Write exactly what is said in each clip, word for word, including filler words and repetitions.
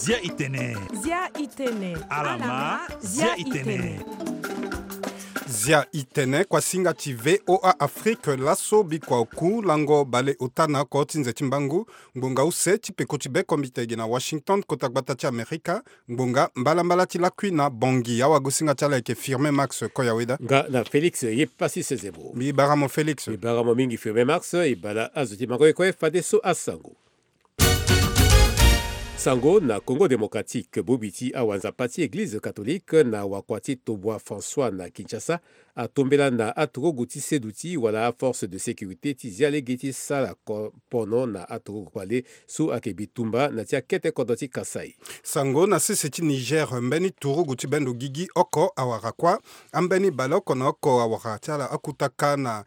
Zia itene. Zia itene. Alama. Zia itene. Zia itene, kuasinga ti VOA Afrique. Laso bikua oku lango baleota na oko ti nze ti mbangu. Ngbonga use ti peko ti bekombite gi na Washington, kota gbata ti Amerika. Ngbonga mbalambala ti lakui na Bangui. Awagosinga ti ala ayeke Firmin Max Koyaweda. Nga na Félix ye pasi sezebo. Mbi bara mo Félix. Mbi bara mo mingi Firmin Max. E bala azo ti mango ye kue fadeso asango. Sango na Congo Démocratique, bobi ti awanzapa ti Eglize Catholique na wakua ti tobua François na Kinshasa atombela na aturugu ti seduti wala aforce de sécurité ti zia lege ti sara pono na aturugu kpale so ayeke bitumba na ti akete kodro ti Kasaï. Sango na sese ti Niger, mbeni turugu ti bendo gigi oko awara kuâ ambeni baleoko na oko awara ti ala akutaka na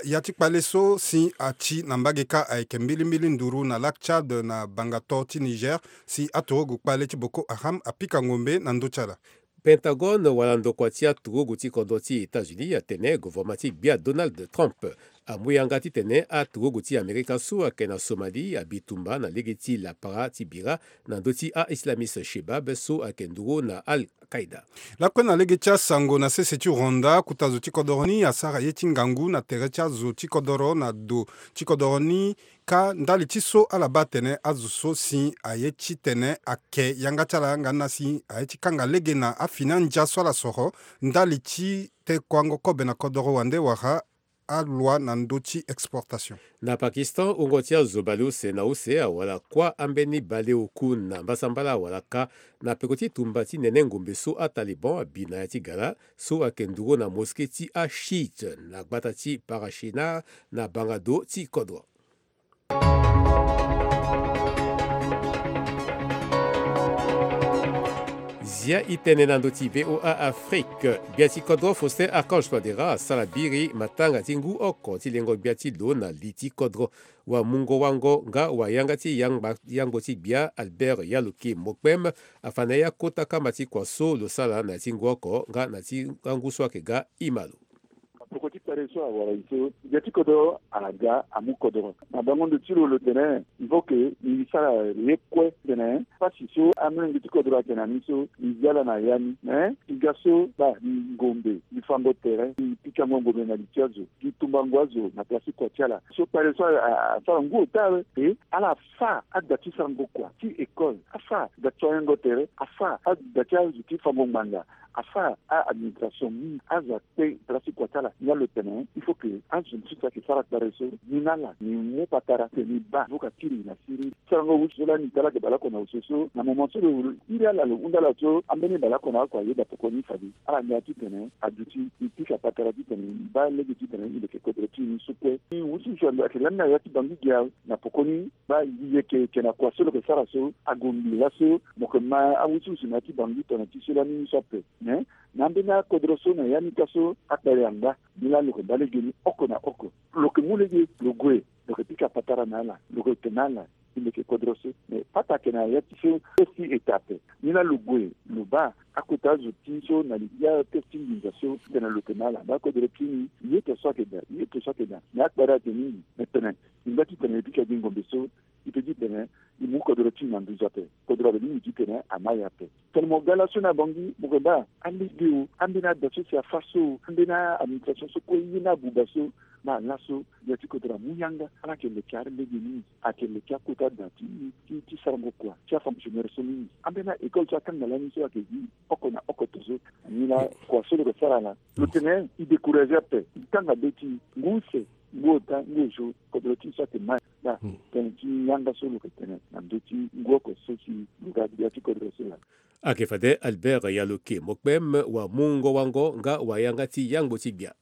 ya ti kpale so si ati na mbage kâ ayeke mbilimbili nduru na Lac Tchad na bangato ti Niger, si aturugu kpale ti Boko Haram apika ngombe na ndö ti ala. Pentagone wala ndokua ti aturugu ti kodro ti États-Unis atene govoroma ti gbia Donald Trump amu yanga titene aturugu ti Amerika so ayeke na Somalie abitumba na lege ti lapara ti bira na ndö ti a-islamiste Shebab so ayeke nduru na Al-Qaida. Lakue na lege ti asango na sese ti Rwanda, kota zo ti kodoro ni asara ye ti ngangu na tere ti azo ti kodoro na do ti kodoro ni. Kâ ndali ti so ala baa atene azo so si aye titene ake yanga ti ala nga na si aye ti kanga lege na afini andia so ala soro ndali ti tekuango kobe na kodoro wande wala aloi na ndö ti exportation. Na Pakistan, wungo ti azo baleuse na use awara kuâ ambeni baleoku na mbasambala awara kâ na peko ti tumba ti nene ngombe so aTaliban abi na ya ti gara so ayeke nduru na mosquée ti aShiite na gbata ti Parashinar na bangado ti kodro. Zia itene na ndö ti VOA Afrique. Gbia ti kodro Faustin Archange Touadéra asara biri matanga ti ngu oko ti lengo gbia ti lo na li ti kodro. Wamungo-wango nga wayanga ti yangba, yangbo ti gbia Albert Yaloke Mokpem afa na ya kota kamba ti kua so lo sara na ya ti ngu oko nga na ti angu so ayeke ga ima lo. Peko ti kpale so awara e so, gbia ti kodro aga amu kodro. Na bango ndo ti lo lo tene il faut que e sara ye kue titene pasi so amolenge ti kodro ayeke na ni so e zi ala na ya ni. Mais e ga so baa e ngombe, e fango tere, e pikango ngombe na li ti azo, e tumbango azo na place ti kua ti ala. So kpale so asara ngu ota awe e ala afa ada ti sarango kua ti école, afa ada ti soignango tere, afa ada ti azo ti fango ngbanga, afa a-administration mingi. Azo akpe place ti kua ti ala. Ni laa lo tene il faut que azo mosusu ayeke sara kpale so ni na ala ni mu patara titene e baa. Avoka kiri na siriri. Sarango wusu so lani e ta ala ayeke baleoko na wusu so na moment so lo iri ala lo hunda ala so ambeni baleoko na oko ayeda poko ni fade ala ngia titene aduti e pika patara titene e baa lege titene e leke kodro ti e ni so kue. Wusu wusu ayeke lani na ya ti bangi gi awe na poko ni. Baa e yeke yeke na kua so lo yeke sara so ague ngbii laso mo yeke ma awusuwusu na ya ti bangi tongana ti so lani ni so ape. Mais na ambeni akodro so na ya ni ka so akpale angba. Ni laa lo yeke baa lege ni oko na oko. Lo yeke mu lege lo gue, lo yeke pika patara na ala, lo yeke tene na ala e leke kodro so. Mais pata ayeke na ya ti so test ti eta ape. Ni laa lo gue lo baa akota azo ti so na li ti atest ti nginza so tene lo tene na ala baa kodro ti ni, ye to so ayeke daa, ye to so ayeke daa. Mais akpale ayeke mingi. Mais tene e ngba titene e pika gi ngombe so, e pe titene e mu kodro ti e na nduzu ape. Kodro ape ni e titene ama e ape. Tene mo ga laso na bangi mo yeke baa alege o, ambeni ada so si afa so o, ambeni a-administration so kue ye ni abuba so. Baa laso ya ti kodro amu yanga ala yeke leke alege mingi. Ayeke leke akota da ti, ti, ti sarango kua ti afonctionnaire so mingi. Ambeni a-école so akanga lani so ayeke gi oko na oko to so. Ni laa kua so lo yeke sara laa lo tene e décourager ape. E kanga be ti e ngu use. Ngu ota ngu ozo kodro ti e so ayeke ma. Baa tënë ti yanga so lo yeke tene na ndö ti ngu oko so si lo ga gbia ti kodro so laa. Ayeke fade Albert Yaloke Mokpem, wamungo-wango nga wayanga ti yangbo ti gbia.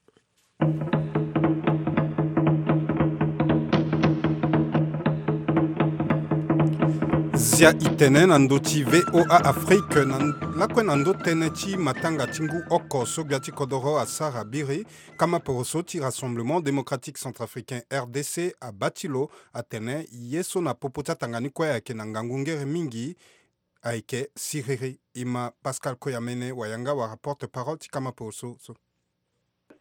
Zia e tene na ndö ti VOA Afrique na lakue na ndö tënë ti matanga ti ngu oko so gbia ti kodoro asara biri. Kama poroso ti Rassemblement Démocratique Centrafricain, R D C, abaa ti lo atene ye so na popo ti atanga ni kue ayeke na ngangu ngere mingi. Ayeke siriri. E ma Pascal Koyamene wayanga wara porte-parole ti kama poroso so.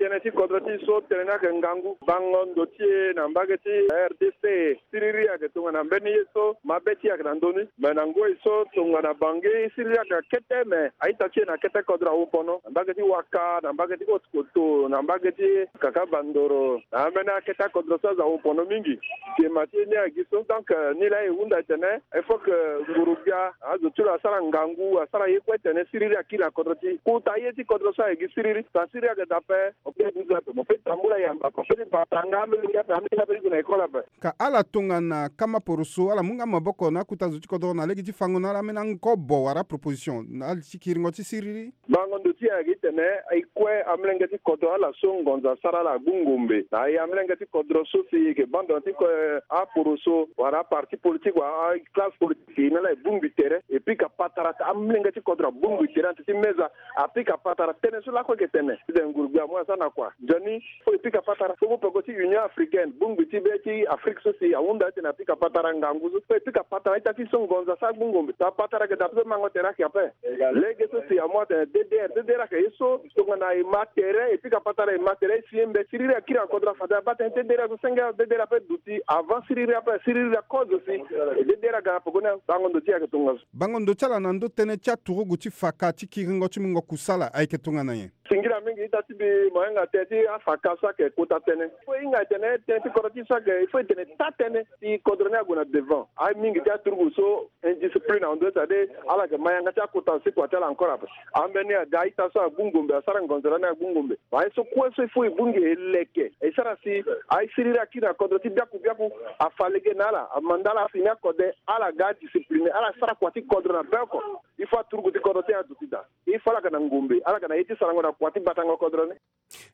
Tënë ti kodro ti e so tënë ni ayeke ngangu. Bango ndo ti e na mbage ti R D C, siriri ayeke tongana mbeni ye so mabe ti e ayeke na ndö ni. Me na ngoi so tongana Bangui, siriri ayeke na kete, me a-ita ti e na kete kodro awu pono. Na mbage ti Waka, na mbage ti Haute-Kotto, na mbage ti Kaka Bandoro, na ambeni akete akodro so azo awu pono mingi. Dema ti e ni ayeke gi so. Donc, euh, ni laa e hunda tene il faut que nguru-gbia, azo ti lo asara ngangu, asara ye kue tene siriri akiri na kodro ti e. Kota ye ti kodro so ayeke gi siriri. Sa siriri ayeke daa ape, mo peut duti ape, mo peut tambula yamba ape, mo peut ti bata nga amolenge ape, amolenge ape ti gue na école ape. Ka ala tongana kama poroso, ala mu nga maboko na akuta zo ti kodro na lege ti fango na ala ambeni angobo wala proposition na ala ti kiringo ti siriri. Bango ndo ti e ayeke titene e kue amolenge ti kodro ala so ngonzo asara ala agbu ngombe. Na e amolenge ti kodro so si e yeke bando na ti ko, aporoso wala aparti politique wala aclasse politique, e na ala e bongbi tere, e pika patara, amolenge ti kodro abongbi tere na ti meza, apika patara tënë so lakue e yeke tene. Titene nguru-gbia amu asara na kua. Nzoni, fo e pika patara, fo mu peko ti Union Africaine, bongbi ti be ti Afrique so si ahunda titene apika patara ngangu so, fo e pika patara ita ti so ngonzo asara agbu ngombe. Sa patara ayeke daa so mango tere ayeke ape. Lege so si amu atene D D R, D D R ayeke ye so tongana e ma tere, e pika patara e ma tere, e si ye mbe, siriri akiri na kodro, fade abaa tënë ti D D R so senge D D R ape duti avant siriri ape, siriri akozo si e D D R aga na peko ni. Bango ndo ti e ayeke tongaso. Bango ndo ti ala na ndö tënë ti aturugu ti faka ti kiringo ti mungo kusala ayeke tongana nyen? Singila mingi ita ti mbi, mo hinga tënë ti afaka so ayeke kota tënë. Il faut e hinga tene tënë ti kodro ti e so ayeke, il faut e tene taa tënë si kodro ni ague na devant. Aye mingi ti aturugu so indiscipline ahon, c'est-à-dire ala yeke ma yanga ti akota si kua ti ala encore ape. Ambeni aga a-ita so agbu ngombe, asara ngonzo lani agbu ngombe. Aye so kue so il faut e bongbi e leke, e sara si aye siriri akiri na kodro ti biaku biaku, afa lege na ala, amanda ala afini akode, ala ga adiscipline, ala sara kua ti kodro na be oko. Il faut aturugu ti kodro ti e aduti daa. Il faut ala ga na ngombe, ala ga na ye ti sarango na kua ti batango kodro ni.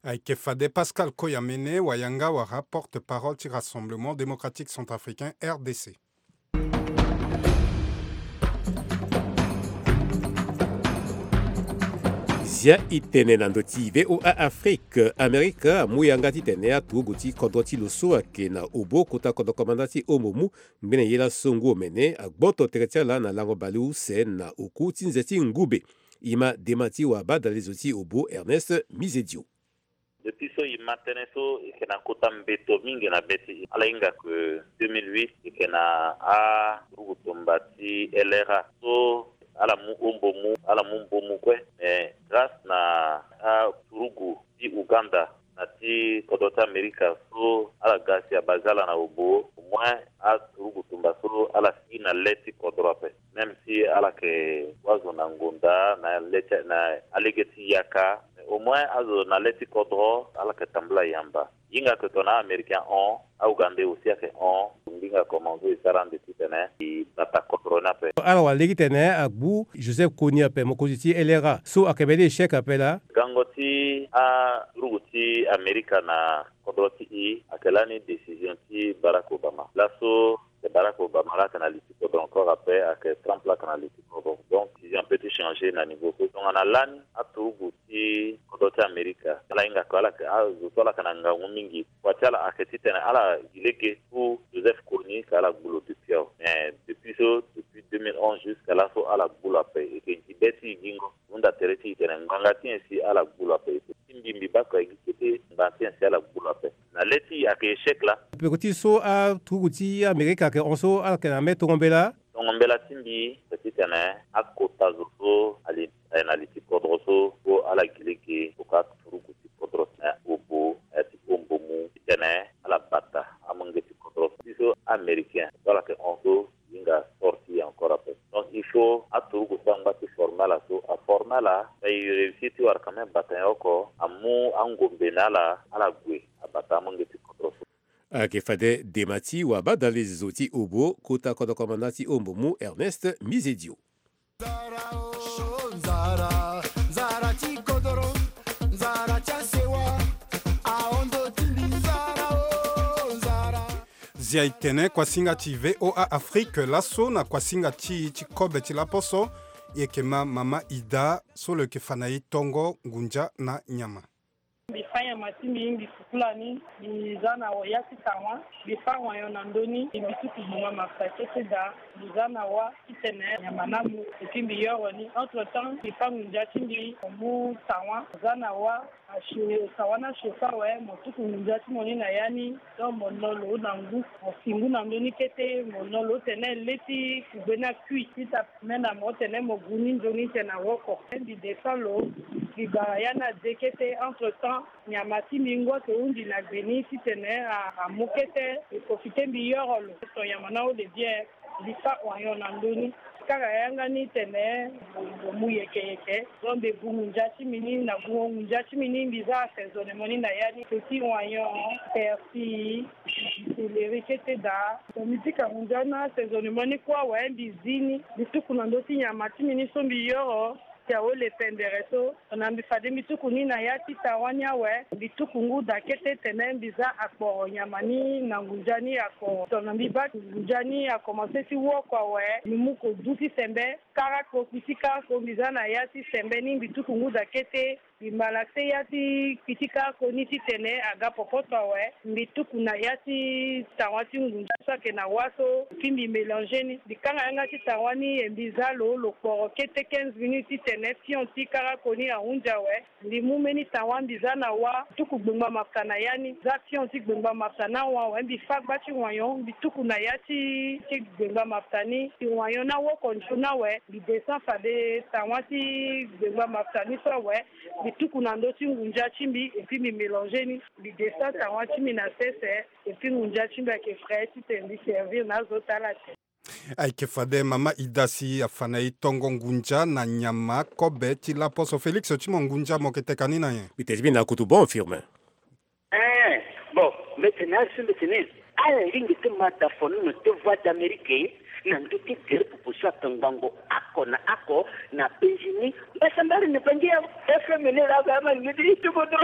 Ayeke fade Pascal Koyamene, wayanga wala porte-parole ti Rassemblement Démocratique Centrafricain, R D C. Zia e tene na ndö ti V O A Afrique, Amerika amu yanga titene aturugu ti kodro ti lo so ayeke na obo kota kodro komanda ti Hombomou, ngbene ye laso ngu omene agboto tere ti ala na lango baleuse na oku ti nze ti ngube. E ma dema ti wabadalezo ti obo Ernest Mizedio. Depuis so e ma tënë so, e yeke na kota mbeto mingi na be ti e. Ala hinga ke deux mille huit e yeke na aturugu tumba ti L R A so ala mu Hombomou, ala mu Mbomou kue. Mais grâce na aturugu ti Ouganda na ti kodro ti Amerika so ala ga si abase ala na obo, au moins aturugu tumba so ala si na le ti kodro ape. Même si ala yeke wa zo na ngonda na le ti, na alege ti yaka, mais au moins azo na le ti kodro ala yeke tambula yamba. Hinga ke tongana a-Américain hon, a-Ougandais aussi ayeke hon, ngbinga komanso e sara ande titene e bata kodro ni ape. Ala wara lege titene agbu Joseph Kony ape, mokonzi ti L R A so ayeke mbeni échec ape laa. Gango ti aturugu ti Amerika na kodro ti e ayeke lani décision ti Barack Obama. Laso Barack Obama laa ayeke na li ti kodro encore ape, ayeke Trump laa ayeke na li ti kodro. Donc décision ape ti changer na niveau so. Tongana lani aturugu ti kodro ti Amerika, ala hinga ke ala yeke, azo so ala yeke na ngangu mingi, kua ti ala ayeke titene ala gi lege pour Joseph Kony ke ala gbu lo depuis awe. Mais depuis so, depuis deux mille onze jusqu'à laso ala gbu lo ape. E yeke gi be ti e gingo. Hunda tere ti e tene ngbanga ti nyen si ala gbu lo ape. Ti mbi, mbi baa kua e gi kete ngbanga ti nyen si ala gbu lo ape. Na le ti e ayeke échec laa. Peko ti so aturugu ti Amerika ayeke hon so ala yeke na mbeni tongo mbela. Tongo mbela ti mbi ayeke titene akota zo so ali, eh, na li ti kodro so, so ala gi lege tongana aturugu ti kodro ti obo, eh, ti Hombomou, titene ala bata amolenge ti kodro so. Ti so Américain so ala yeke hon so, hinga sorti encore ape. Donc il faut aturugu so angba ti former ala so aformer ala, mais e réussir ti wara quand même bata nyen oko, amu angombe na ala, ala gue abata amolenge ti kodro so. Ayeke fade dema ti wabadalezo ti obo kota kodro komanda ti Hombomou, Ernest Mizedio. Nzara, oh, nzara, nzara ti kodoro, nzara ti asewa, ahondo ti mbi, nzara, oh, nzara. Zia e tene kuasinga ti V O A Afrique laso na kuasinga ti, ti kobe ti laposo, e yeke ma mama Ida so lo yeke fa na e tongo ngunza na nyama. Mbi fâ nyama ti mbi, mbi fukula ni, mbi za na ya ti tawa, mbi fâ wayon na ndö ni, mbi tuku gbonga mafuta kete daa, mbi za na wa titene nyama ni amu, et puis mbi yoro ni. Entre temps, mbi fâ ngunza ti mbi, mo mu tawa, mo za na wa, a chauffe, tawa ni a chauffe awe, mo tuku ngunza ti mo ni na ya ni, donc mo no lo na ngu, mo fi ngu na ndö ni kete, mo no lo tene le ti kugbe ni akui, ti ta Mena mo tene mo gu ni nzoni tene na woko. Mbi descend lo, mbi bara ya ni ade kete. Entre temps, nyama ti mbi ngu ayeke hunzi na gbe ni titene a, amu kete. Mbi profite mbi yoro lo. Ton nyama ni ahon de bien. Mbi fâ wayon na ndö ni. Kara yanga ni tene mo mu yeke yeke. Donc mbi gu ngunza ti mbi ni, na gungo ngunza ti mbi ni, mbi za assaisonnement ni na ya ni. Petit wayon, persil, céleri kete daa. Mo mbi pika ngunza na assaisonnement ni kue awe, mbi zi ni, mbi tuku na ndö ti nyama ti mbi ni so mbi yoro, ti awe le pendere so. Na mbi fade mbi tuku ni na ya ti tawa ni awe, mbi tuku ngu daa kete tene mbi za akporo nyama ni na ngunza ni akporo. Tongana mbi baa ngunza ni akomanse ti woko awe, mbi mu kodu ti sembe, kara ko, kpi ti kara ko, mbi za na ya ti sembe ni, mbi tuku ngu daa kete. Mbi malaxe ya ti kpi ti kara ko ni titene aga popoto awe. Mbi tuku na ya ti tawa ti ngunza so ayeke na wa so, puis mbi mélanger ni. Mbi kanga yanga ti tawa ni, e mbi za lo, lo kporo kete quinze minutes titene pion ti kara ko ni ahunzi awe. Mbi mu mbeni tawa, mbi za na wa, tuku gbengba mafuta na ya ni. Za pion ti gbengba mafuta ni ahon awe, mbi fâ gba ti wayon, mbi tuku na ya ti, ti gbengba mafuta ni. Ti wayon ni awoko nzoni awe, mbi descend fade tawa ti gbengba mafuta ni so awe. Mbi tuku na ndö ti ngunza ti mbi, et puis mbi mélanger ni. Mbi descend tawa ti mbi na sese, et puis ngunza ti mbi ayeke frais titene mbi servir na azo ti ala te. Ayeke fade mama Ida si afa na e tongo ngunza na nyama kobe ti laposo. Félix, ti mo ngunza mo yeke teka ni na nyen? Mbi tene ti mbi na kutu bon, Firmin. Eh, bon, mbi tene na ala so mbi tene, ala lingbi ti ma da fonono ti Voix d'Amérique na ndö ti gere popo so ayeke ngbongo oko na oko na penzi ni. Mbasambala ni bangi ya F M ni laa, ba ma lingbi ti ti kodro.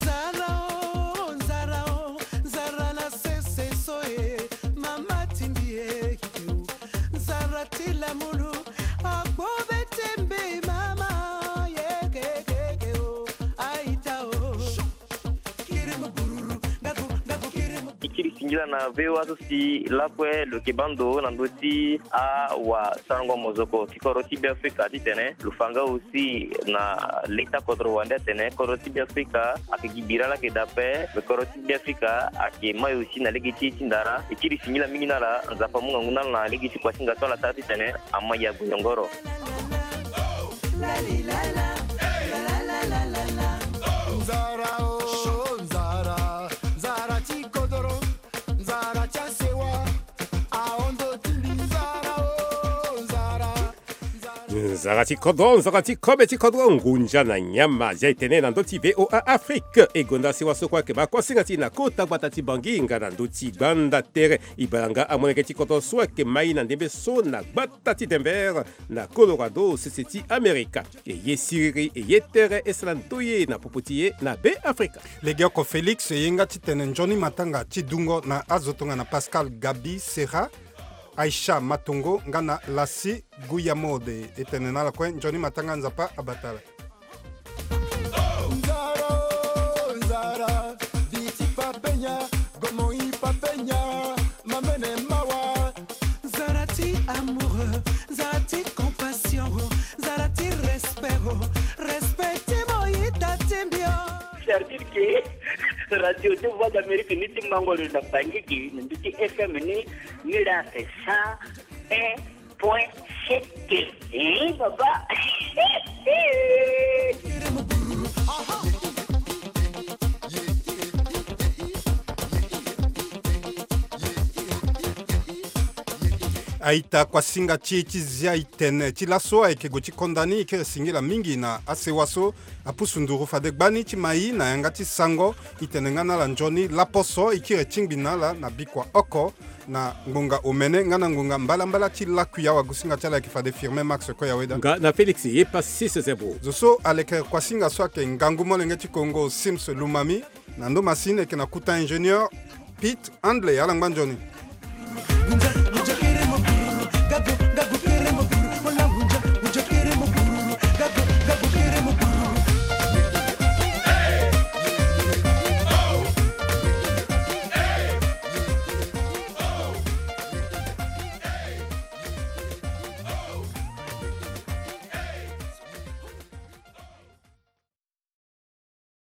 Nzara o, nzara o, nzara na sese so e, mama ti mbi e, nzara ti lamulu, agbo be ti mbi mama, ye ke ke ke o, aita o. Kiri mu bururu, ngaku, ngaku kiri mu. E kiri singila na V O A so si lakue lo yeke baa ndo na ndö ti awasarango mozoko ti kodro ti Beafrika titene lo fa nga aussi na leta kodro wande atene kodro ti Beafrika ayeke gi bira laa ayeke daa ape, me kodro ti Beafrika ayeke mai aussi na lege ti e ti ndara. E kiri singila mingi na ala, Nzapa amu ngangu na ala na lege ti kuasinga so ala sara titene ama ya gonyongoro. Nzara o, nzara, nzara ti kodro, nzara ti asewa, ahondo ti mbi, nzara o, nzara. Nzara ti kodro, nzara ti kobe ti kodro, ngunza na nyama, zia e tene na ndö ti V O A Afrique. E gonda sewa so kue ayeke baa kuasinga ti e na kota gbata ti Bangui nga na ndö ti gbanda tere. E baa nga amolenge ti kodro so ayeke mai na ndembe so na gbata ti Denver na Colorado, sese ti Amerika. E ye siriri, e ye tere, e sara ndoye na popo ti e na Beafrika. Legeoko Félix, e ye nga titene nzoni matanga ti dungo na azo tongana Pascal Gabi Serra, Aïcha Matongo nga na Lassi Guya Mode. E tene na ala kue nzoni matanga, Nzapa abata ala. Nzara o, nzara, viti papenya, gomoi papenya, mamene mawa. Nzara ti amour, nzara ti compassion, nzara ti respect, respect ti mo ita ti mbi o. C'est-à-dire que radio ti Voix d'Amérique ni ti mango lo na Bangui gi na ndö ti F M ni, ni laa c'est cent un point sept. Eh, baba. A-ita, kuasinga ti e ti zia e tene ti laso ayeke gue ti konda ni. E kiri singila mingi na asewa so apusu nduru fade gbani ti mai na yanga ti sango. E tene nga na ala nzoni laposo, e kiri tingbi na ala na bikua oko na ngbonga omene nga na ngbonga mbalambala ti lakui. Awagosinga ti ala ayeke fade Firmin Max Koyaweda nga na Félix Yepassis Zebro. Zo so aleke kuasinga so ayeke ngangu molenge ti Kongo, Sims Lumami. Na ndo masini ayeke na kuta ingénieur Pete Handley. Ala ngba nzoni.